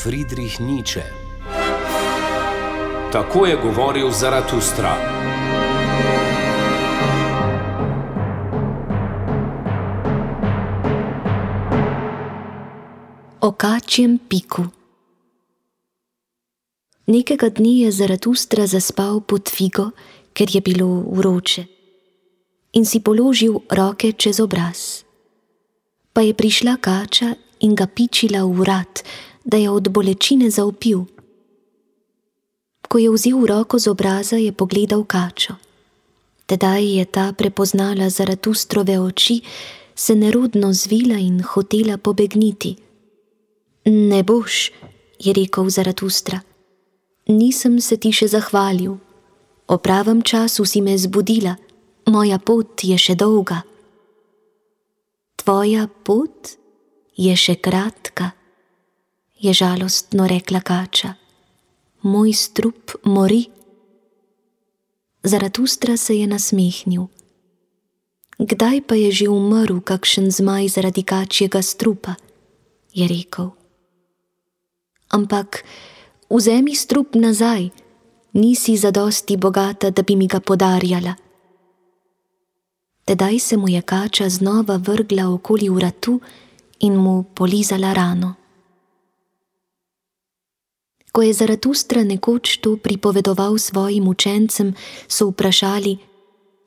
Friedrich Nietzsche. Tako je govoril Zaratustra. O kačjem piku. Nekega dni je Zaratustra zaspal pod figo, ker je bilo vroče, in si položil roke čez obraz. Pa je prišla kača in ga pičila v vrat, da je od bolečine zavpil. Ko je vzel roko z obraza, je pogledal kačo. Tedaj je ta prepoznala Zaratustrove oči, se nerodno zvila in hotela pobegniti. Ne boš, je rekel Zaratustra. Nisem se ti še zahvalil. O pravem času si me zbudila, moja pot je še dolga. Tvoja pot je še kratka, je žalostno rekla kača. Moj strup mori. Zaratustra se je nasmehnil. Kdaj pa je že umrl kakšen zmaj zaradi kačjega strupa, je rekel. Ampak vzemi strup nazaj, nisi zadosti bogata, da bi mi ga podarjala. Tedaj se mu je kača znova vrgla okoli vratu in mu polizala rano. Ko je Zaratustra nekoč to pripovedoval svojim učencem, so vprašali: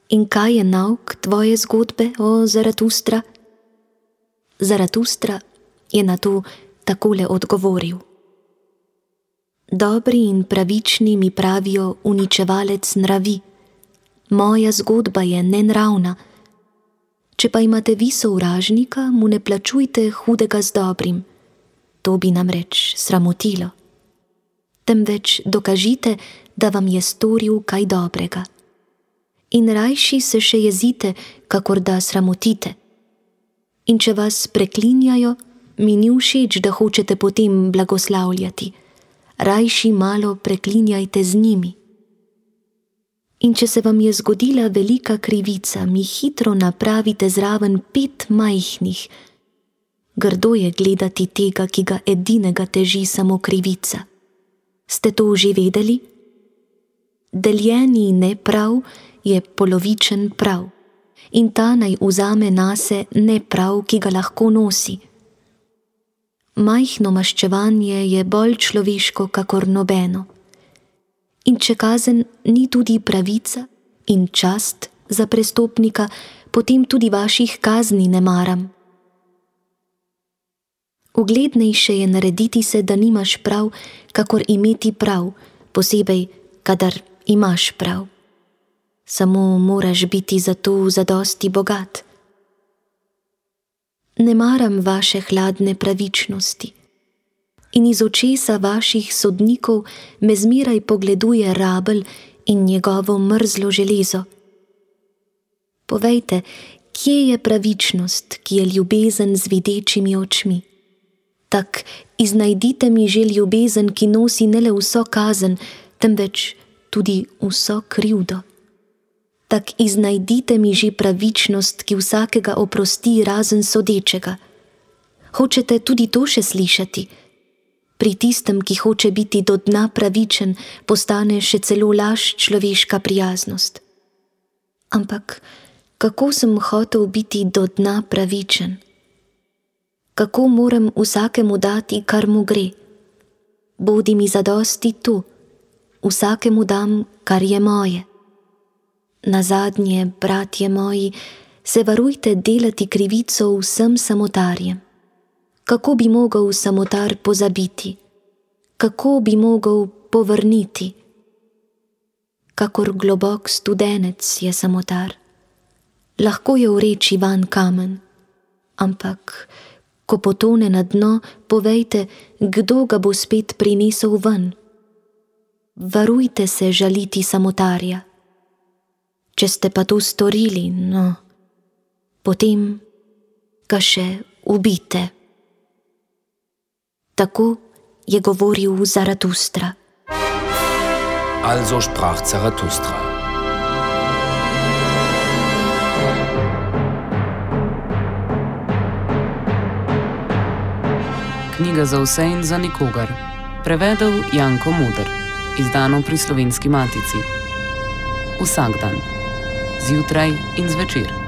In kaj je nauk tvoje zgodbe, o Zaratustra? Zaratustra je na to takole odgovoril: Dobri in pravični mi pravijo uničevalec nravi. Moja zgodba je nenravna. Če pa imate vi sovražnika, mu ne plačujte hudega z dobrim. To bi namreč sramotilo. Temveč dokažite, da vam je storil kaj dobrega. In rajši se še jezite, kakor da sramotite. In če vas preklinjajo, mi ni všeč, da hočete potem blagoslavljati. Rajši malo preklinjajte z njimi. In če se vam je zgodila velika krivica, mi hitro napravite zraven 5 majhnih. Grdo je gledati tega, ki ga edinega teži samo krivica. Ste to že vedeli? Deljeni neprav je polovičen prav, in ta naj vzame nase neprav, ki ga lahko nosi. Majhno maščevanje je bolj človeško kakor nobeno. In če kazen ni tudi pravica in čast za prestopnika, potem tudi vaših kazni ne maram. Uglednejše je narediti se, da nimaš prav, kakor imeti prav, posebej, kadar imaš prav. Samo moraš biti za to zadosti bogat. Ne maram vaše hladne pravičnosti. In iz očesa vaših sodnikov me zmeraj pogleduje rabelj in njegovo mrzlo železo. Povejte, kje je pravičnost, ki je ljubezen z videčimi očmi? Tak iznajdite mi že ljubezen, ki nosi ne le vso kazen, temveč tudi vso krivdo. Tak iznajdite mi že pravičnost, ki vsakega oprosti razen sodečega. Hočete tudi to še slišati? Pri tistem, ki hoče biti do dna pravičen, postane še celo laž človeška prijaznost. Ampak kako sem hotel biti do dna pravičen? Kako moram vsakemu dati, kar mu gre? Bodi mi zadosti tu, vsakemu dam, kar je moje. Nazadnje, bratje moji, se varujte delati krivico vsem samotarjem. Kako bi mogel samotar pozabiti? Kako bi mogel povrniti? Kakor globok studenec je samotar. Lahko je vreči van kamen, ampak ko potone na dno, povejte, kdo ga bo spet prinesel ven. Varujte se žaliti samotarja. Če ste pa to storili, no, potem ga še ubite. Tako je govoril Zaratustra. Also sprach Zaratustra. Knjiga za vse in za nikogar. Prevedel Janko Muder. Izdano pri Slovenski matici. Vsak dan. Zjutraj in zvečer.